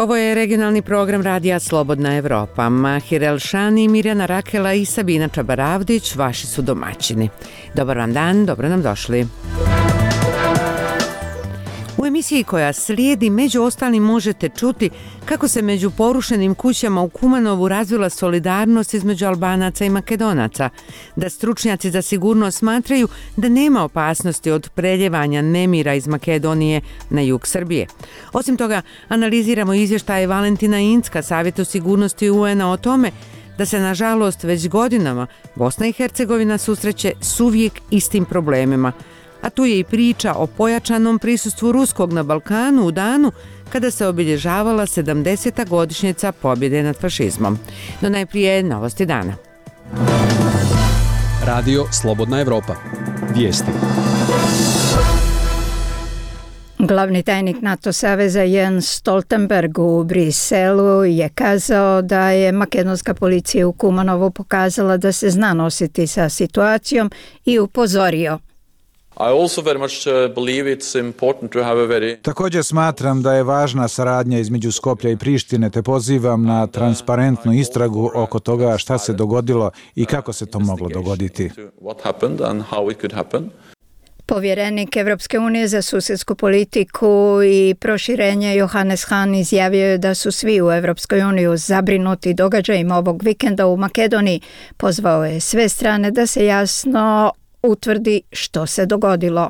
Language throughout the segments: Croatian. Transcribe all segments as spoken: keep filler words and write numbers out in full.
Ovo je regionalni program Radija Slobodna Evropa. Mahir Elšani, Mirjana Rakela i Sabina Čabaravdić vaši su domaćini. Dobar vam dan, dobro nam došli. U emisiji koja slijedi među ostalim možete čuti kako se među porušenim kućama u Kumanovu razvila solidarnost između Albanaca i Makedonaca, da stručnjaci za sigurnost smatraju da nema opasnosti od preljevanja nemira iz Makedonije na jug Srbije. Osim toga, analiziramo izvještaje Valentina Incka, Savjetu sigurnosti U N-a o tome da se nažalost već godinama Bosna i Hercegovina susreće s uvijek istim problemima. A tu je i priča o pojačanom prisustvu ruskog na Balkanu u danu kada se obilježavala sedamdeseta godišnjica pobjede nad fašizmom. No najprije novosti dana. Radio Slobodna Evropa. Vijesti. Glavni tajnik NATO saveza Jens Stoltenberg u Briselu je kazao da je makedonska policija u Kumanovu pokazala da se zna nositi sa situacijom i upozorio. Također smatram da je važna saradnja između Skoplja i Prištine, te pozivam na transparentnu istragu oko toga šta se dogodilo i kako se to moglo dogoditi. Povjerenik Evropske unije za susjedsku politiku i proširenje Johannes Hahn izjavio je da su svi u Evropskoj uniji zabrinuti događajima ovog vikenda u Makedoniji. Pozvao je sve strane da se jasno utvrdi što se dogodilo.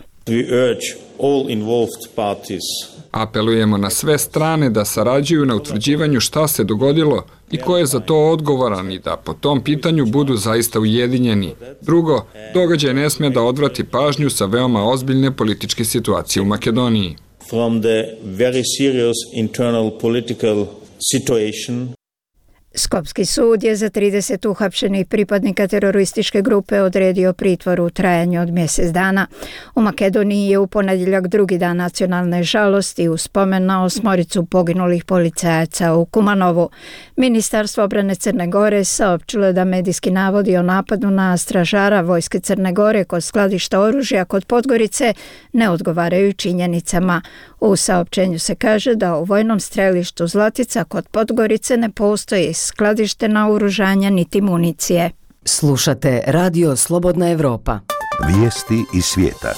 Apelujemo na sve strane da sarađuju na utvrđivanju šta se dogodilo i ko je za to odgovoran i da po tom pitanju budu zaista ujedinjeni. Drugo, događaj ne smije da odvrati pažnju sa veoma ozbiljne političke situacije u Makedoniji. From the very serious internal political situation. Skopski sud je za trideset uhapšenih pripadnika terorističke grupe odredio pritvor u trajanju od mjesec dana. U Makedoniji je u ponedjeljak drugi dan nacionalne žalosti u spomen na osmoricu poginulih policajaca u Kumanovu. Ministarstvo obrane Crne Gore saopćilo je da medijski navodi o napadu na stražara vojske Crne Gore kod skladišta oružja kod Podgorice ne odgovaraju činjenicama. U saopćenju se kaže da u vojnom strelištu Zlatica kod Podgorice ne postoji skladište naoružanja niti municije. Slušate Radio Slobodna Evropa. Vijesti iz svijeta.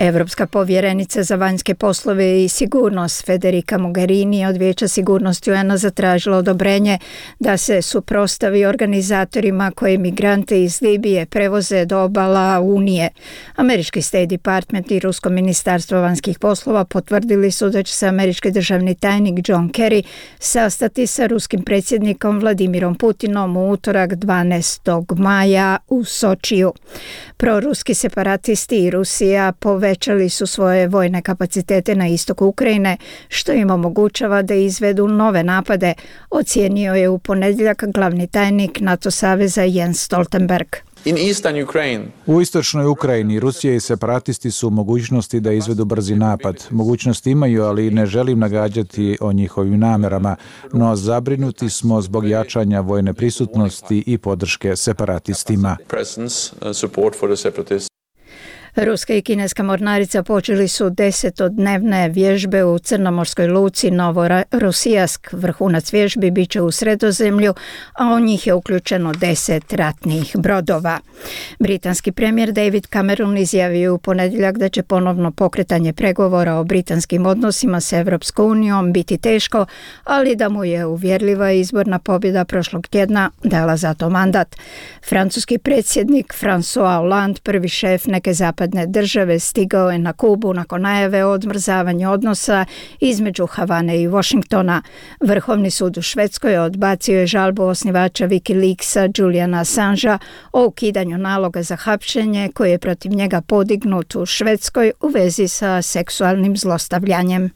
Evropska povjerenica za vanjske poslove i sigurnost Federica Mogherini od Vijeća sigurnosti U N-a zatražila odobrenje da se suprotstavi organizatorima koji migrante iz Libije prevoze do obala Unije. Američki State Department i Rusko ministarstvo vanjskih poslova potvrdili su da će se američki državni tajnik John Kerry sastati sa ruskim predsjednikom Vladimirom Putinom u utorak dvanaestog maja u Sočiju. Proruski separatisti i Rusija povećali su svoje vojne kapacitete na istoku Ukrajine, što im omogućava da izvedu nove napade, ocijenio je u ponedjeljak glavni tajnik NATO saveza Jens Stoltenberg. U istočnoj Ukrajini Rusija i separatisti su u mogućnosti da izvedu brzi napad. Mogućnosti imaju, ali ne želim nagađati o njihovim namerama, no zabrinuti smo zbog jačanja vojne prisutnosti i podrške separatistima. Ruska i kineska mornarica počeli su desetodnevne vježbe u crnomorskoj luci Novorosijask. Vrhunac vježbi bit će u Sredozemlju, a u njih je uključeno deset ratnih brodova. Britanski premijer David Cameron izjavio u ponedjeljak da će ponovno pokretanje pregovora o britanskim odnosima s Evropskom unijom biti teško, ali da mu je uvjerljiva izborna pobjeda prošlog tjedna dala za to mandat. Francuski predsjednik François Hollande, prvi šef neke zapadne države, stigao je na Kubu nakon najave o odmrzavanju odnosa između Havane i Washingtona. Vrhovni sud u Švedskoj odbacio je žalbu osnivača Wikileaksa Juliana Assangea o ukidanju naloga za hapšenje koji je protiv njega podignut u Švedskoj u vezi sa seksualnim zlostavljanjem.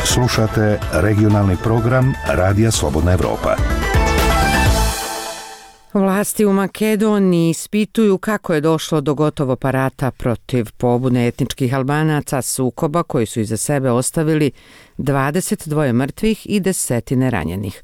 Slušate regionalni program Radija Slobodna Evropa. Vlasti u Makedoniji ispituju kako je došlo do gotovo parata protiv pobune etničkih Albanaca, sukoba koji su iza sebe ostavili dvadeset dva mrtvih i desetine ranjenih.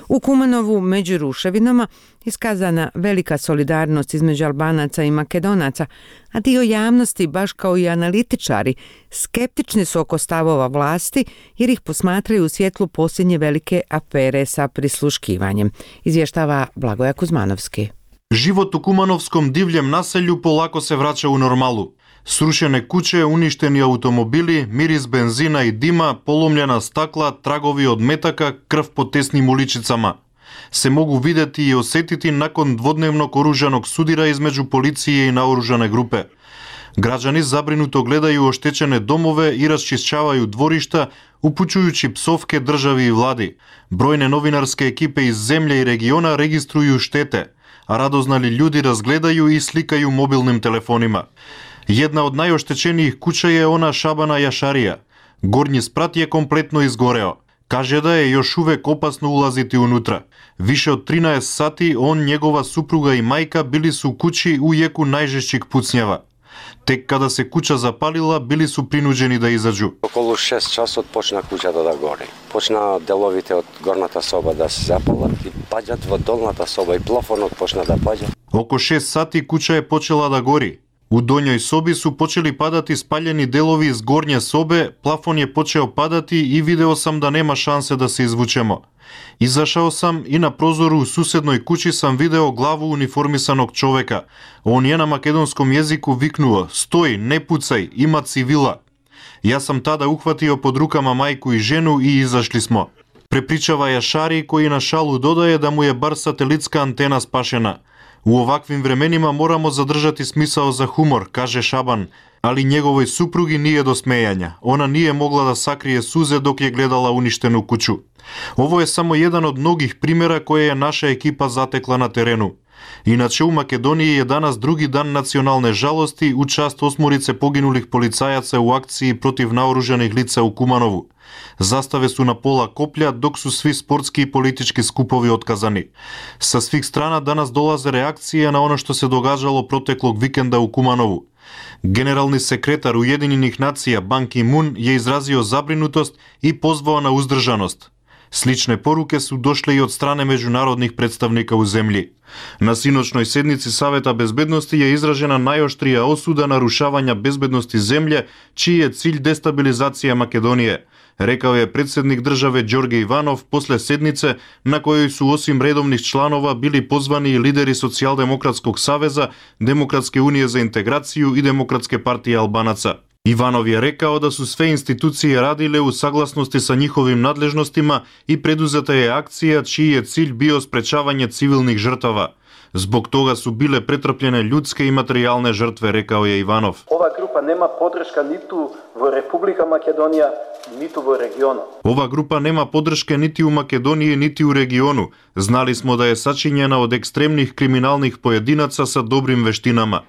U Kumanovu među ruševinama iskazana velika solidarnost između Albanaca i Makedonaca, a dio javnosti, baš kao i analitičari, skeptični su oko stavova vlasti jer ih posmatraju u svjetlu posljednje velike afere sa prisluškivanjem, izvještava Blagoja Kuzmanovski. Život u Kumановskom divljem naselju polako se vraća u normalu. Srušene kuće, uništeni automobili, miris benzina i dima, polomljena stakla, tragovi od метака, крв по тесnim uličicama se mogu vidjeti i osjetiti nakon dvodnevnog oružanog sudira između policije i naoružane grupe. Građani zabrinuto gledaju oštećene domove i raščišćavaju dvorišta, upućujući psovke državi i vladi. Brojne novinarske ekipe iz zemlje i regiona registruju štete, a radoznali ljudi razgledaju i slikaju mobilnim telefonima. Jedna od najoštećenijih kuća je ona Šabana Jašarija. Gornji sprat je kompletno izgoreo. Kaže da je još uvek opasno ulaziti unutra. Više od trinaest sati on, njegova supruga i majka bili su u kući u jeku najžešćih pucnjava. Tek kada se kuća zapalila, bili su prinuđeni da izađu. Околу шест часот почна куќата да гори. Почна деловите од горната соба да се запалат и паѓат во долната соба и плафонот почна да паѓа. Око шест сати kuća je počela da gori. U donjoj sobi su počeli padati spaljeni delovi iz gornje sobe, plafon je počeo padati i video sam da nema šanse da se izvučemo. Izašao sam i na prozoru u susednoj kući sam video glavu uniformisanog čoveka. On je na makedonskom jeziku viknuo: "Stoj, ne pucaj, ima civila." Ja sam tada uhvatio pod rukama majku i ženu i izašli smo. Prepričava Jašari, koji na šalu dodaje da mu je bar satelitska antena spašena. U ovakvim vremenima moramo zadržati smisao za humor, kaže Šaban, ali njegovoj suprugi nije do smejanja. Ona nije mogla da sakrije suze dok je gledala uništenu kuću. Ovo je samo jedan od mnogih primjera koje je naša ekipa zatekla na terenu. Inače, u Makedoniji je danas drugi dan nacionalne žalosti u čast osmorice poginulih policajaca u akciji protiv naoružanih lica u Kumanovu. Zastave su na pola koplja, dok su svi sportski i politički skupovi otkazani. Sa svih strana danas dolaze reakcije na ono što se događalo proteklog vikenda u Kumanovu. Generalni sekretar Ujedinjenih nacija Ban Ki-moon je izrazio zabrinutost i pozvao na uzdržanost. Slične poruke su došle i od strane međunarodnih predstavnika u zemlji. Na sinoćnoj sednici Saveta bezbednosti je izražena najoštrija osuda narušavanja bezbednosti zemlje, čiji je cilj destabilizacija Makedonije, rekao je predsjednik države Đorđe Ivanov posle sednice na kojoj su osim redovnih članova bili pozvani i lideri Socijaldemokratskog saveza, Demokratske unije za integraciju i Demokratske partije Albanaca. Ivanov je rekao da su sve institucije radile u saglasnosti sa njihovim nadležnostima i preduzeta je akcija čiji je cilj bio sprečavanje civilnih žrtava. Zbog toga su bile pretrpljene ljudske i materijalne žrtve, rekao je Ivanov. Ova grupa nema podrška niti u Republika Makedonija, niti u regionu. Ova grupa nema podrške niti u Makedoniji, niti u regionu. Znali smo da je sačinjena od ekstremnih kriminalnih pojedinaca sa dobrim veštinama.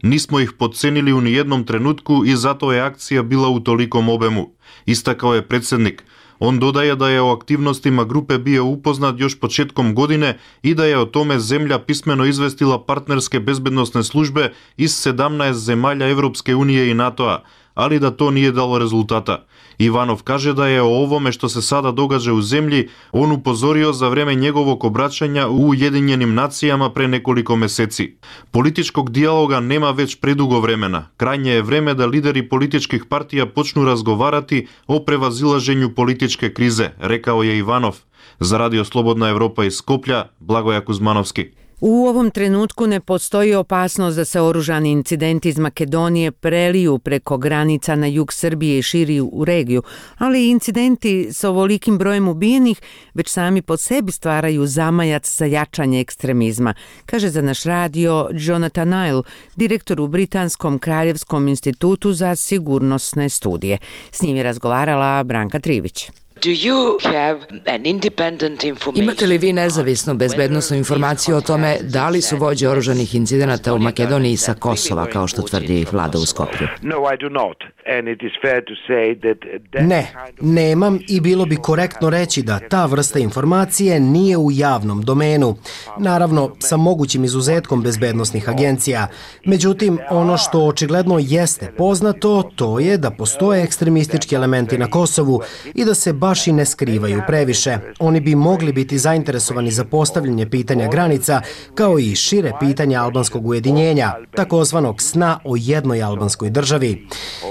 Nismo ih podcenili u nijednom trenutku i zato je akcija bila u tolikom obemu, istakao je predsjednik. On dodaje da je o aktivnostima grupe bio upoznat još početkom godine i da je o tome zemlja pismeno izvestila partnerske bezbednosne službe iz sedamnaest zemalja Evropske unije i NATO-a, ali da to nije dalo rezultata. Ivanov kaže da je o ovome što se sada događa u zemlji on upozorio za vreme njegovog obraćanja u Ujedinjenim nacijama pre nekoliko meseci. Političkog dijaloga nema već predugo vremena. Krajnje je vreme da lideri političkih partija počnu razgovarati o prevazilaženju političke krize, rekao je Ivanov. Za Radio Slobodna Evropa iz Skoplja, Blagoja Kuzmanovski. U ovom trenutku ne postoji opasnost da se oružani incidenti iz Makedonije preliju preko granica na jug Srbije i širi u regiju, ali incidenti s ovolikim brojem ubijenih već sami po sebi stvaraju zamajac za jačanje ekstremizma, kaže za naš radio Jonathan Nile, direktor u Britanskom kraljevskom institutu za sigurnosne studije. S njim je razgovarala Branka Trivić. Imate li vi nezavisnu bezbednosnu informaciju o tome da li su vođe oružanih incidenata u Makedoniji sa Kosova, kao što tvrdi vlada u Skoplju? Ne, nemam i bilo bi korektno reći da ta vrsta informacije nije u javnom domenu. naravno sa mogućim izuzetkom bezbednosnih agencija. Međutim, ono što očigledno jeste poznato, to je da postoje ekstremistički elementi na Kosovu i da se baš i ne skrivaju previše. Oni bi mogli biti zainteresovani za postavljanje pitanja granica, kao i šire pitanja albanskog ujedinjenja, takozvanog sna o jednoj albanskoj državi.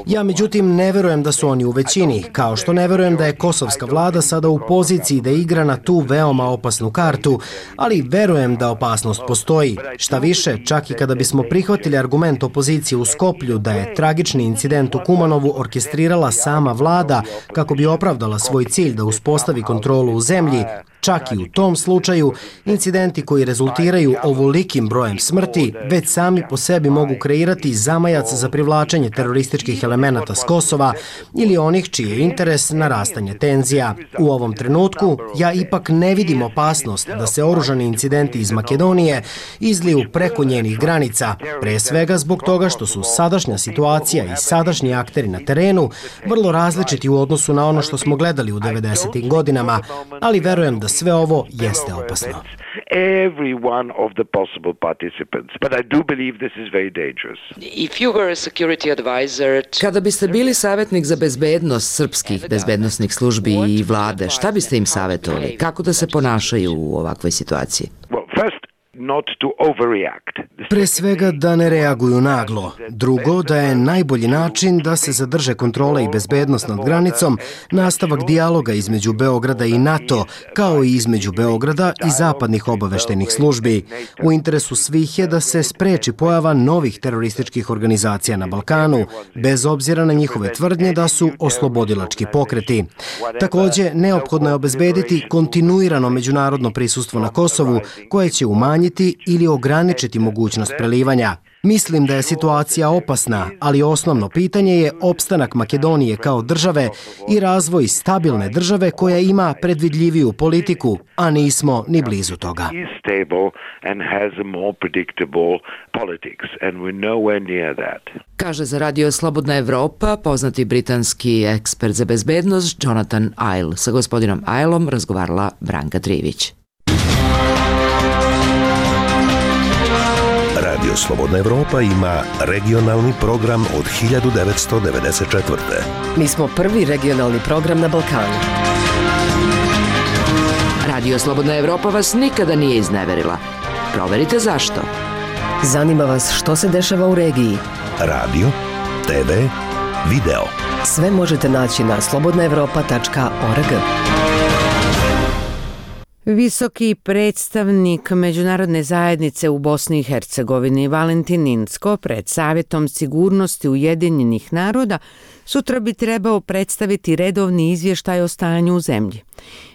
Ja međutim ne verujem da su oni u većini, kao što ne verujem da je kosovska vlada sada u poziciji da igra na tu veoma opasnu kartu, ali verujem da opasnost postoji. Šta više, čak i kada bismo prihvatili argument opozicije u Skoplju da je tragični incident u Kumanovu orkestrirala sama vlada kako bi opravdala svoj cilj da uspostavi kontrolu u zemlji, čak i u tom slučaju, incidenti koji rezultiraju ovolikim brojem smrti već sami po sebi mogu kreirati zamajac za privlačenje terorističkih elemenata s Kosova ili onih čiji je interes narastanje tenzija. U ovom trenutku ja ipak ne vidim opasnost da se oružani incidenti iz Makedonije izliju preko njenih granica, pre svega zbog toga što su sadašnja situacija i sadašnji akteri na terenu vrlo različiti u odnosu na ono što smo gledali u devedesetim godinama, ali verujem da sve ovo jeste opasno. Every one of the possible participants. But I do believe this is very dangerous. If you were a security advisor... Kada biste bili savjetnik za bezbednost srpskih bezbednosnih službi i vlade, šta biste im savjetovali? Kako da se ponašaju u ovakvoj situaciji? Well, first, not to overreact. Pre svega da ne reaguju naglo. Drugo, da je najbolji način da se zadrže kontrola i bezbednost nad granicom, nastavak dijaloga između Beograda i NATO, kao i između Beograda i zapadnih obaveštajnih službi. U interesu svih je da se spreči pojava novih terorističkih organizacija na Balkanu, bez obzira na njihove tvrdnje da su oslobodilački pokreti. Takođe, neophodno je obezbediti kontinuirano međunarodno prisustvo na Kosovu, koje će umanjiti ili ograničiti mogućnost prelivanja. Mislim da je situacija opasna, ali osnovno pitanje je opstanak Makedonije kao države i razvoj stabilne države koja ima predvidljiviju politiku, a nismo ni blizu toga. Kaže za Radio Slobodna Evropa poznati britanski ekspert za bezbednost Jonathan Ive. Sa gospodinom Iveom razgovarala Branka Trivić. Radio Slobodna Evropa ima regionalni program od hiljadu devetsto devedeset četvrte. Mi smo prvi regionalni program na Balkanu. Radio Slobodna Evropa vas nikada nije izneverila. Proverite zašto. Zanima vas što se dešava u regiji. Radio, te ve, video. Sve možete naći na slobodna evropa tačka org. Visoki predstavnik Međunarodne zajednice u Bosni i Hercegovini Valentin Incko pred Savjetom sigurnosti Ujedinjenih naroda sutra bi trebao predstaviti redovni izvještaj o stanju u zemlji.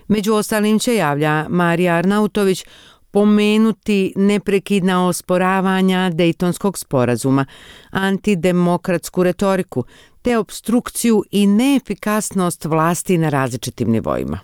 Među ostalim će, javlja Marija Arnautović, pomenuti neprekidna osporavanja Dejtonskog sporazuma, antidemokratsku retoriku te obstrukciju i neefikasnost vlasti na različitim nivoima.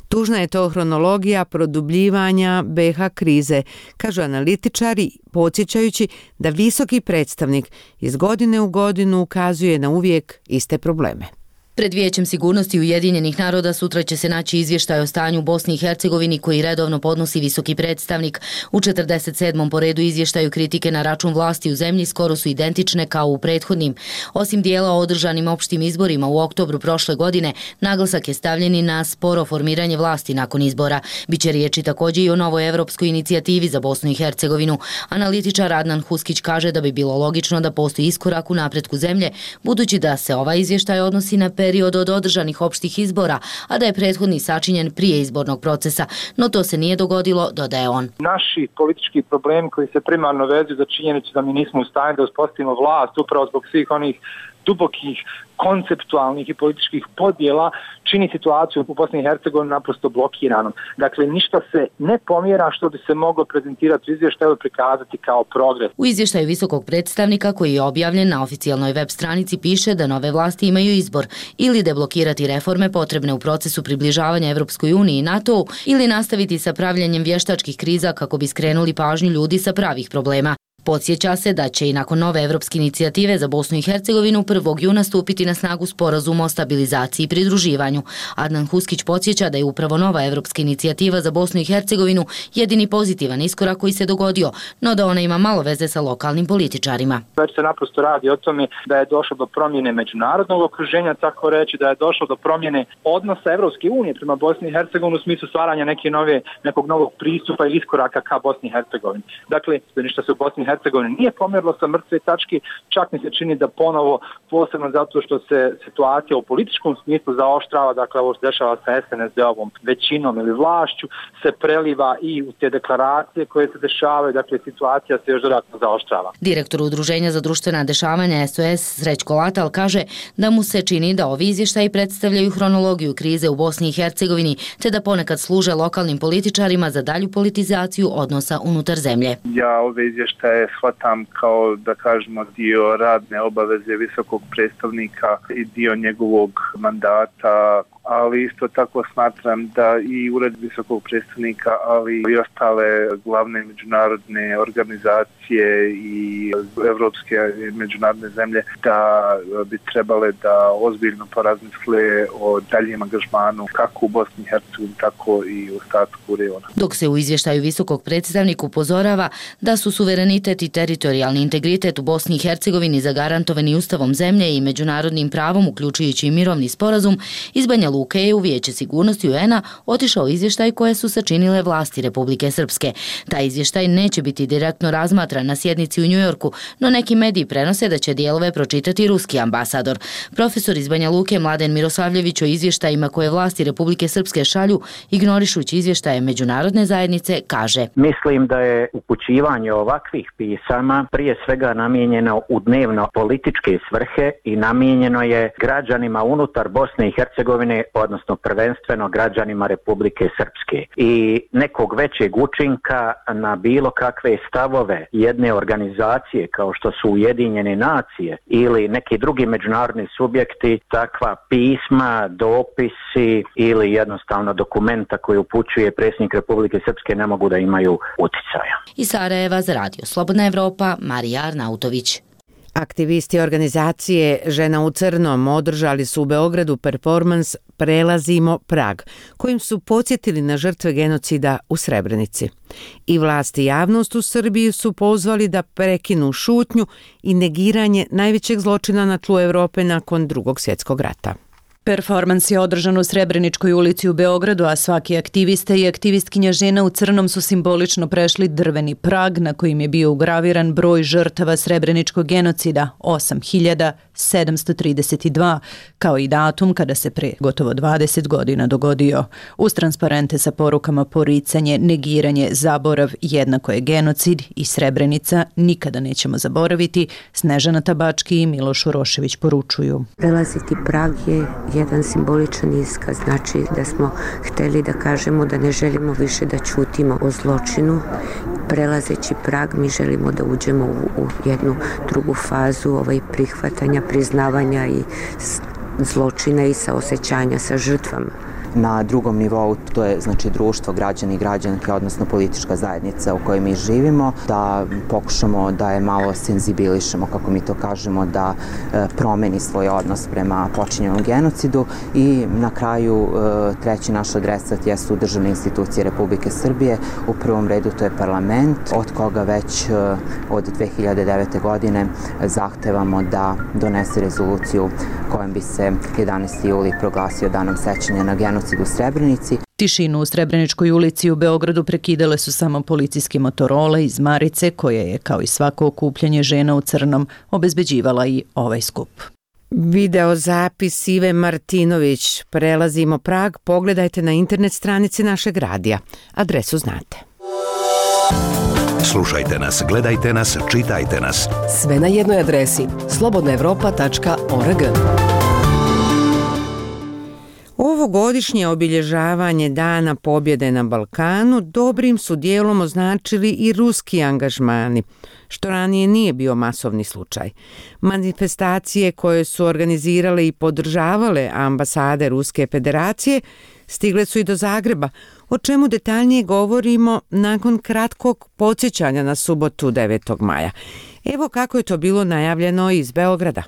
Tužna je to hronologija produbljivanja be ha krize, kažu analitičari, podsjećajući da visoki predstavnik iz godine u godinu ukazuje na uvijek iste probleme. Pred Vijećem sigurnosti Ujedinjenih naroda sutra će se naći izvještaj o stanju u Bosni i Hercegovini koji redovno podnosi visoki predstavnik. U četrdeset sedmom po redu izvještaju kritike na račun vlasti u zemlji skoro su identične kao u prethodnim. Osim dijela o održanim opštim izborima u oktobru prošle godine, naglasak je stavljen i na sporo formiranje vlasti nakon izbora. Biće riječi također i o novoj evropskoj inicijativi za Bosnu i Hercegovinu. Analitičar Adnan Huskić kaže da bi bilo logično da postoji iskorak u napretku zemlje, budući da se ovaj izvještaj odnosi na period od održanih opštih izbora, a da je prethodni sačinjen prije izbornog procesa, no to se nije dogodilo, dodaje on. Naši politički problemi koji se primarno vezuju za činjenicu da mi nismo u stanju da uspostavimo vlast upravo zbog svih onih dubokih konceptualnih i političkih podjela čini situaciju u Bosni i Hercegovini naprosto blokiranom. Dakle, ništa se ne pomjera što bi se moglo prezentirati u izvještaju i prikazati kao progres. U izvještaju visokog predstavnika koji je objavljen na oficijalnoj web stranici piše da nove vlasti imaju izbor ili deblokirati reforme potrebne u procesu približavanja Evropskoj uniji i NATO-u ili nastaviti sa pravljenjem vještačkih kriza kako bi skrenuli pažnju ljudi sa pravih problema. Podsjeća se da će i nakon nove evropske inicijative za Bosnu i Hercegovinu prvog juna stupiti na snagu sporazum o stabilizaciji i pridruživanju. Adnan Huskić podsjeća da je upravo nova evropska inicijativa za Bosnu i Hercegovinu jedini pozitivan iskorak koji se dogodio, no da ona ima malo veze sa lokalnim političarima. Već se naprosto radi o tome da je došlo do promjene međunarodnog okruženja, tako reći, da je došlo do promjene odnosa Evropske unije prema Bosni i Hercegovini u smislu stvaranja neke nove, nekog novog pristupa ili iskoraka ka Bosni i Hercegovini. Dakle, ništa se u Bosni i Hercegovini nije pomjerilo sa mrtve tačke, čak mi se čini da ponovo, posebno zato što se situacija u političkom smislu zaoštrava, dakle ovo se dešava sa S N S D-ovom većinom ili vlašću, se preliva i u te deklaracije koje se dešavaju, dakle situacija se još dodatno zaoštrava. Direktor Udruženja za društvena dešavanja S O S Srećko Latal kaže da mu se čini da ovi izvještaji predstavljaju hronologiju krize u Bosni i Hercegovini, te da ponekad služe lokalnim političarima za dalju politizaciju odnosa unutar zemlje. Ja ove izvještaje shvatam kao, da kažemo, dio radne obaveze visokog predstavnika i dio njegovog mandata, ali isto tako smatram da i ured visokog predstavnika, ali i ostale glavne međunarodne organizacije i evropske međunarodne zemlje da bi trebale da ozbiljno porazmisle o daljem angažmanu kako u Bosni i Hercegovini, tako i u ostatku regiona. Dok se u izvještaju visokog predstavnika upozorava da su suverenitet i teritorijalni integritet u Bosni i Hercegovini zagarantovani ustavom zemlje i međunarodnim pravom, uključujući i mirovni sporazum, iz Banja Luke je u Vijeće sigurnosti U N-a otišao izvještaj koje su sačinile vlasti Republike Srpske. Taj izvještaj neće biti direktno razmatran na sjednici u Njujorku, no neki mediji prenose da će dijelove pročitati ruski ambasador. Profesor iz Banja Luke Mladen Miroslavljević o izvještajima koje vlasti Republike Srpske šalju, ignorišući izvještaje međunarodne zajednice, kaže: Mislim da je upućivanje ovakvih pisama prije svega namijenjeno u dnevno političke svrhe i namijenjeno je građanima unutar Bosne i Hercegovine, odnosno prvenstveno građanima Republike Srpske. I nekog većeg učinka na bilo kakve stavove jedne organizacije kao što su Ujedinjene nacije ili neki drugi međunarodni subjekti, takva pisma, dopisi ili jednostavno dokumenta koji upućuje predsjednik Republike Srpske ne mogu da imaju uticaja. Iz Sarajeva za radio Slobodna Evropa, Marija Arnautović. Aktivisti organizacije Žena u crnom održali su u Beogradu performans Prelazimo prag, kojim su podsjetili na žrtve genocida u Srebrenici. I vlast i javnost u Srbiji su pozvali da prekinu šutnju i negiranje najvećeg zločina na tlu Evrope nakon Drugog svjetskog rata. Performans je održan u Srebreničkoj ulici u Beogradu, a svaki aktivista i aktivistkinja Žena u crnom su simbolično prešli drveni prag na kojim je bio ugraviran broj žrtava Srebreničkog genocida, osam hiljada sedamsto trideset dva, kao i datum kada se pre gotovo dvadeset godina dogodio. Uz transparente sa porukama poricanje, negiranje, zaborav jednako je genocid i Srebrenica nikada nećemo zaboraviti, Snežana Tabački i Miloš Urošević poručuju. Prelaziti prag je jedan simboličan iskaz, znači da smo hteli da kažemo da ne želimo više da ćutimo o zločinu. Prelazeći prag mi želimo da uđemo u, u jednu drugu fazu ovaj, prihvatanja, priznavanja i zločina i saosećanja sa žrtvama. Na drugom nivou to je znači društvo, građani i građanke, odnosno politička zajednica u kojoj mi živimo, da pokušamo da je malo senzibilišemo, kako mi to kažemo, da e, promeni svoj odnos prema počinjenom genocidu i na kraju e, treći naš adresat jesu državne institucije Republike Srbije. U prvom redu to je parlament, od koga već e, od dve hiljade devete. godine zahtevamo da donese rezoluciju kojom bi se jedanaesti juli proglasio danom sećanja na genocid u Srebrenici. Tišinu u Srebreničkoj ulici u Beogradu prekidale su samo policijske motorole iz Marice, koje je, kao i svako okupljanje Žena u crnom, obezbeđivala i ovaj skup. Video zapis Ive Martinović Prelazimo prag pogledajte na internet stranici našeg radija. Adresu znate. Slušajte nas, gledajte nas, čitajte nas. Sve na jednoj adresi slobodna evropa tačka org. Ovogodišnje obilježavanje Dana pobjede na Balkanu dobrim su dijelom označili i ruski angažmani, što ranije nije bio masovni slučaj. Manifestacije koje su organizirale i podržavale ambasade Ruske federacije stigle su i do Zagreba, o čemu detaljnije govorimo nakon kratkog podsjećanja na subotu devetog maja. Evo kako je to bilo najavljeno iz Beograda.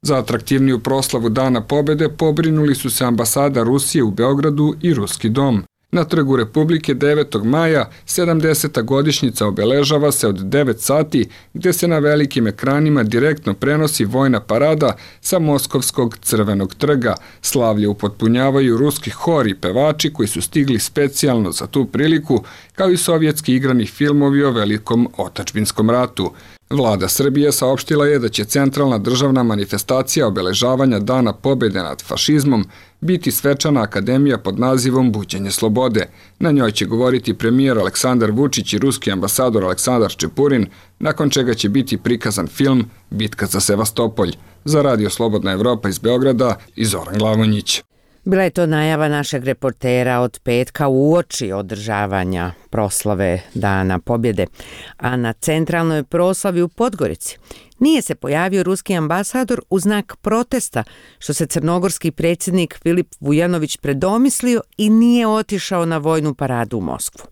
Za atraktivniju proslavu Dana pobjede pobrinuli su se ambasada Rusije u Beogradu i Ruski dom. Na Trgu Republike devetog maja sedamdeseta godišnjica obeležava se od devet sati, gdje se na velikim ekranima direktno prenosi vojna parada sa Moskovskog Crvenog trga. Slavlje upotpunjavaju ruski hor i pevači koji su stigli specijalno za tu priliku, kao i sovjetski igrani filmovi o velikom otadžbinskom ratu. Vlada Srbije saopštila je da će centralna državna manifestacija obeležavanja Dana pobjede nad fašizmom biti svečana akademija pod nazivom Buđenje slobode. Na njoj će govoriti premijer Aleksandar Vučić i ruski ambasador Aleksandar Čepurin, nakon čega će biti prikazan film Bitka za Sevastopolj. Za Radio Slobodna Evropa iz Beograda i Zoran Glavonjić. Bila je to najava našeg reportera od petka uoči održavanja proslave Dana pobjede, a na centralnoj proslavi u Podgorici nije se pojavio ruski ambasador u znak protesta što se crnogorski predsjednik Filip Vujanović predomislio i nije otišao na vojnu paradu u Moskvu.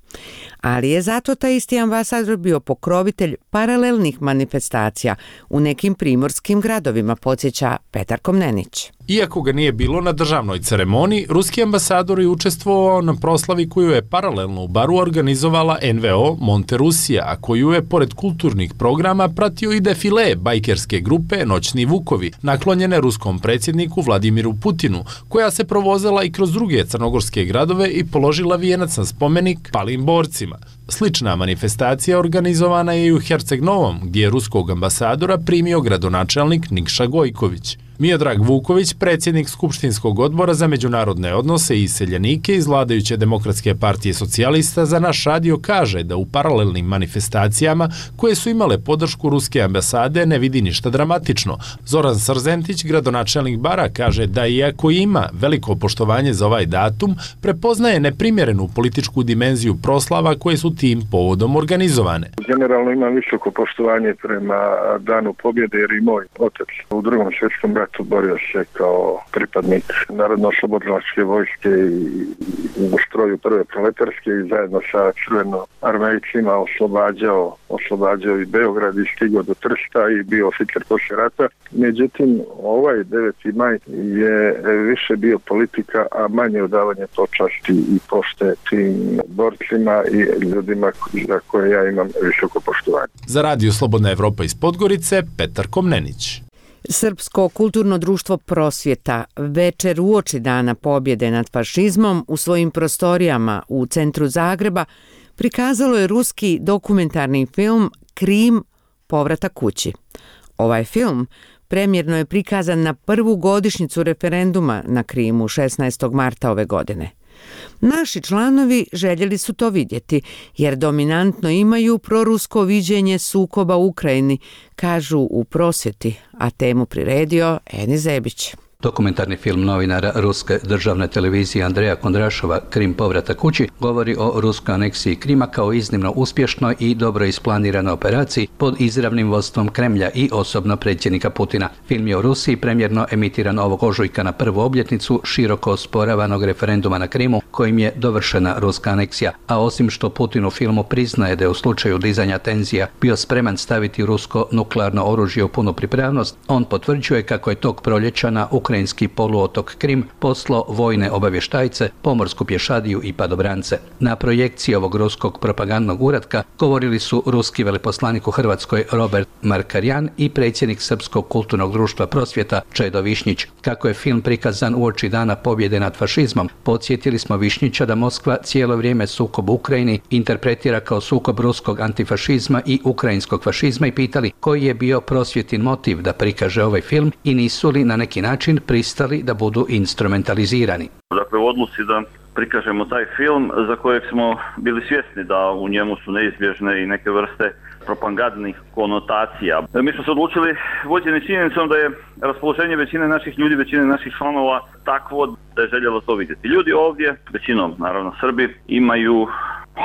Ali je zato taj isti ambasador bio pokrovitelj paralelnih manifestacija u nekim primorskim gradovima, podsjeća Petar Komnenić. Iako ga nije bilo na državnoj ceremoniji, ruski ambasador je učestvovao na proslavi koju je paralelno u Baru organizovala en ve o Monte Rusija, a koju je pored kulturnih programa pratio i defile bajkerske grupe Noćni Vukovi, naklonjene ruskom predsjedniku Vladimiru Putinu, koja se provozela i kroz druge crnogorske gradove i položila vijenac na spomenik palim borcima. Slična manifestacija organizovana je i u Herceg Novom, gdje je ruskog ambasadora primio gradonačelnik Nikša Gojković. Miodrag Vuković, predsjednik Skupštinskog odbora za međunarodne odnose i iseljenike iz vladajuće Demokratske partije socijalista, za naš radio kaže da u paralelnim manifestacijama koje su imale podršku ruske ambasade ne vidi ništa dramatično. Zoran Srzentić, gradonačelnik Bara, kaže da iako ima veliko poštovanje za ovaj datum, prepoznaje neprimjerenu političku dimenziju proslava koje su tim povodom organizovane. Generalno imam visoko poštovanje prema Danu pobjede jer i moj otac u drugom svjetskom ratu borio se kao pripadnik Narodno-oslobodilačke vojske i u stroju prve proletarske i zajedno sa crvenoarmejcima oslobađao, oslobađao i Beograd i stigao do Trsta i bio oficir poslije rata. Međutim, ovaj deveti maj je više bio politika, a manje odavanje počasti i pošte tim borcima i ljudima za koje ja imam visoko poštovanje. Za Radio Slobodna Evropa iz Podgorice, Petar Komnenić. Srpsko kulturno društvo Prosvjeta večer uoči Dana pobjede nad fašizmom u svojim prostorijama u centru Zagreba prikazalo je ruski dokumentarni film Krim – Povratak kući. Ovaj film premjerno je prikazan na prvu godišnjicu referenduma na Krimu šesnaestog marta ove godine. Naši članovi željeli su to vidjeti, jer dominantno imaju prorusko viđenje sukoba u Ukrajini, kažu u Prosvjeti, a temu priredio Eni Zebić. Dokumentarni film novinara ruske državne televizije Andreja Kondrašova Krim povratak kući govori o ruskoj aneksiji Krima kao iznimno uspješnoj i dobro isplaniranoj operaciji pod izravnim vodstvom Kremlja i osobno predsjednika Putina. Film je u Rusiji premjerno emitiran ovog ožujka na prvu obljetnicu široko osporavanog referenduma na Krimu kojim je dovršena ruska aneksija, a osim što Putin u filmu priznaje da je u slučaju dizanja tenzija bio spreman staviti rusko nuklearno oružje u punu pripravnost, on potvrđuje kako je tog proljeća na ukrajinski poluotok Krim poslao vojne obavještajce, pomorsku pješadiju i padobrance. Na projekciji ovog ruskog propagandnog uratka govorili su ruski veleposlanik u Hrvatskoj Robert Markarjan i predsjednik Srpskog kulturnog društva Prosvjeta Čedo Višnjić. Kako je film prikazan uoči Dana pobjede nad fašizmom, podsjetili smo Višnjića da Moskva cijelo vrijeme sukob u Ukrajini interpretira kao sukob ruskog antifašizma i ukrajinskog fašizma i pitali koji je bio Prosvjetin motiv da prikaže ovaj film i nisu li na neki način pristali da budu instrumentalizirani. Dakle, u odluci da prikažemo taj film za kojeg smo bili svjesni da u njemu su neizbježne i neke vrste propagandnih konotacija. Mi smo se odlučili vođeni činjenicom da je raspoloženje većine naših ljudi, većine naših članova takvo da je željelo to vidjeti. Ljudi ovdje, većinom naravno Srbi, imaju,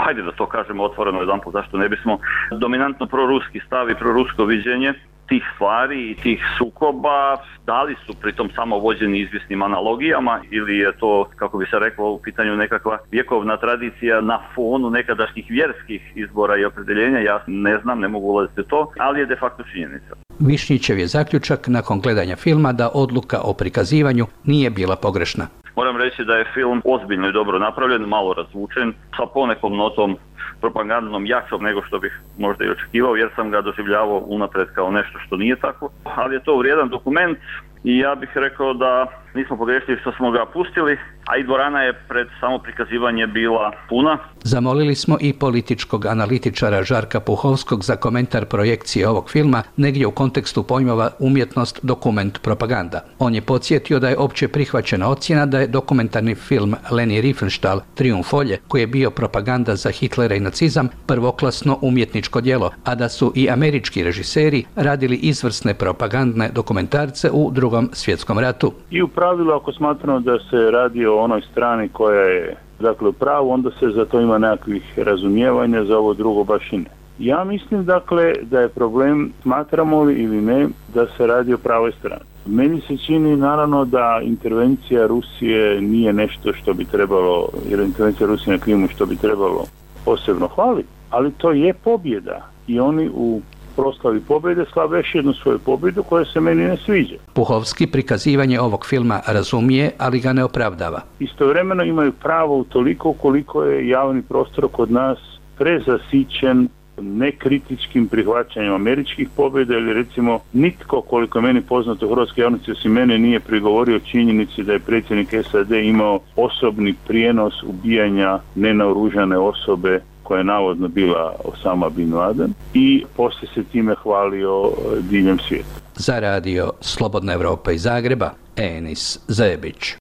hajde da to kažemo otvoreno jedanput, zašto ne bismo, dominantno proruski stav i prorusko viđenje tih stvari i tih sukoba. Da li su pritom samo vođeni izvjesnim analogijama ili je to, kako bi se reklo, u pitanju nekakva vjekovna tradicija na fonu nekadašnjih vjerskih izbora i opredeljenja, ja ne znam, ne mogu ulaziti u to, ali je de facto činjenica. Višnjićev je zaključak nakon gledanja filma da odluka o prikazivanju nije bila pogrešna. Moram reći da je film ozbiljno i dobro napravljen, malo razvučen, sa ponekom notom propagandnom jačom nego što bih možda i očekivao, jer sam ga doživljavao unapred kao nešto što nije tako, ali je to vrijedan dokument i ja bih rekao da nismo pogrešili što smo ga pustili, a i dvorana je pred samo prikazivanje bila puna. Zamolili smo i političkog analitičara Žarka Puhovskog za komentar projekcije ovog filma negdje u kontekstu pojmova umjetnost, dokument, propaganda. On je podsjetio da je opće prihvaćena ocjena da je dokumentarni film Leni Riefenstahl Trijumfolje, koji je bio propaganda za Hitlera i nacizam, prvoklasno umjetničko djelo, a da su i američki režiseri radili izvrsne propagandne dokumentarce u Drugom svjetskom ratu. I u pravilu, ako smatramo da se radi o onoj strani koja je dakle u pravu, onda se za to ima nekakvih razumijevanja, za ovo drugo baš i ne. Ja mislim dakle da je problem, smatramo li ili ne, da se radi o pravoj strani. Meni se čini naravno da intervencija Rusije nije nešto što bi trebalo, jer intervencija Rusije na Krimu što bi trebalo posebno hvaliti, ali to je pobjeda i oni u proslavi pobjede slave još jednu svoju pobjedu koja se meni ne sviđa. Puhovski prikazivanje ovog filma razumije, ali ga ne opravdava. Istovremeno imaju pravo u toliko koliko je javni prostor kod nas prezasićen nekritičkim prihvaćanjem američkih pobjeda, ili recimo nitko, koliko je meni poznato u hrvatskoj javnosti osim mene, nije prigovorio činjenici da je predsjednik S A D imao osobni prijenos ubijanja nenaoružane osobe koja je navodno bila Osama bin Laden i poslije se time hvalio diljem svijeta. Za radio Slobodna Evropa iz Zagreba, Enis Zebić.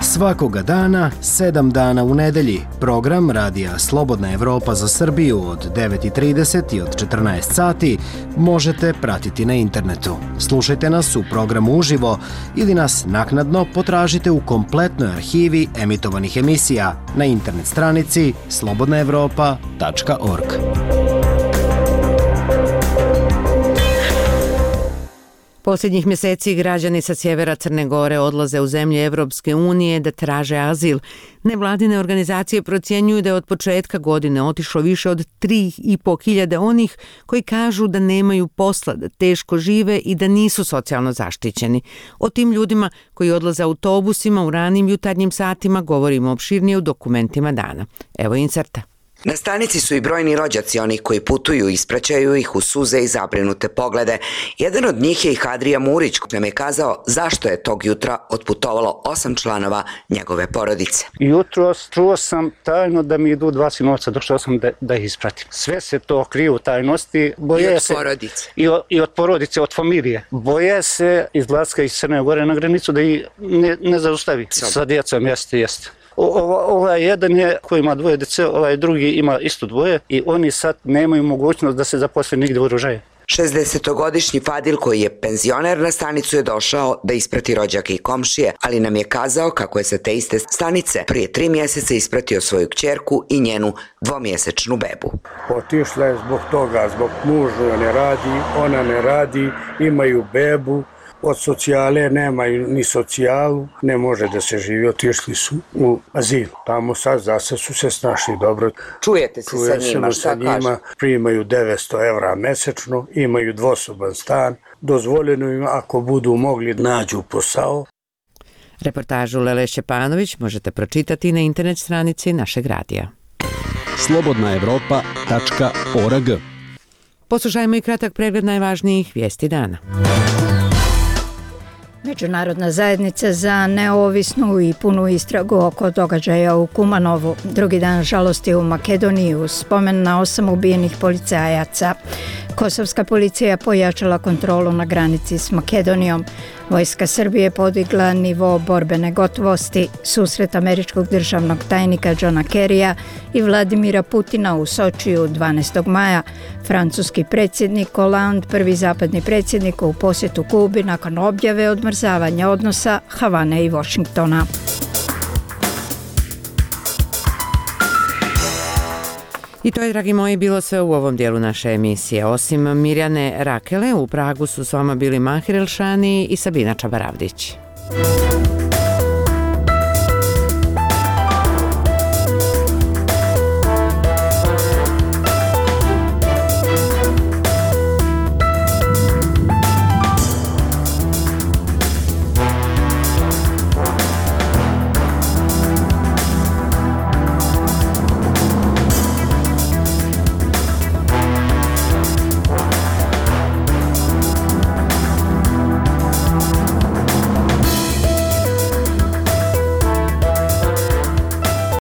Svakoga dana, sedam dana u nedelji, program radija Slobodna Evropa za Srbiju od devet i trideset i od četrnaest sati možete pratiti na internetu. Slušajte nas u programu uživo ili nas naknadno potražite u kompletnoj arhivi emitovanih emisija na internet stranici slobodna evropa tačka org. Posljednjih mjeseci građani sa sjevera Crne Gore odlaze u zemlje Evropske unije da traže azil. Nevladine organizacije procjenjuju da je od početka godine otišlo više od tri i po hiljade onih koji kažu da nemaju posla, da teško žive i da nisu socijalno zaštićeni. O tim ljudima koji odlaze autobusima u ranim jutarnjim satima govorimo opširnije u dokumentima dana. Evo inserta. Na stanici su i brojni rođaci onih koji putuju i ispraćaju ih u suze i zabrinute poglede. Jedan od njih je i Hadrija Murić, koji nam je kazao zašto je tog jutra otputovalo osam članova njegove porodice. Jutros čuo sam tajno da mi idu dva sinovca, došao sam da, da ih ispratim. Sve se to krije u tajnosti. Boje I od se, porodice. I, o, I od porodice, od familije. Boje se izlaska iz Crne Gore na granicu da ih ne, ne zaustavi. Sob. Sa djecom, jeste, jeste. Ovaj jedan je koji ima dvoje djece, ovaj drugi ima isto dvoje i oni sad nemaju mogućnost da se zaposle nigdje u oružaju. šezdesetogodišnji Fadil koji je penzioner na stanicu je došao da isprati rođake i komšije, ali nam je kazao kako je sa te iste stanice prije tri mjeseca ispratio svoju kćerku i njenu dvomjesečnu bebu. Otišla je zbog toga, zbog muža ne radi, ona ne radi, imaju bebu. Od socijale nemaju ni socijalu, ne može da se živi, otišli su u azil. Tamo sad zase su se snašli dobro. Čujete se Čuje sa njima, šta kažu? Primaju devetsto evra mesečno, imaju dvosoban stan, dozvoljeno im ako budu mogli nađu posao. Reportažu Lele Šćepanović možete pročitati na internet stranici našeg radija. slobodna evropa tačka org. Poslušajmo i kratak pregled najvažnijih vijesti dana. Međunarodna zajednica za neovisnu i punu istragu oko događaja u Kumanovu. Drugi dan žalosti u Makedoniji uz spomen na osam ubijenih policajaca. Kosovska policija pojačala kontrolu na granici s Makedonijom. Vojska Srbije podigla nivo borbene gotovosti. Susret američkog državnog tajnika Johna Kerrya i Vladimira Putina u Sočiju dvanaestog maja. Francuski predsjednik Hollande, prvi zapadni predsjednik u posjetu Kubi nakon objave odmrzavanja odnosa Havane i Washingtona. I to je, dragi moji, bilo sve u ovom dijelu naše emisije. Osim Mirjane Rakele, u Pragu su s vama bili Mahir Elšani i Sabina Čabaravdić.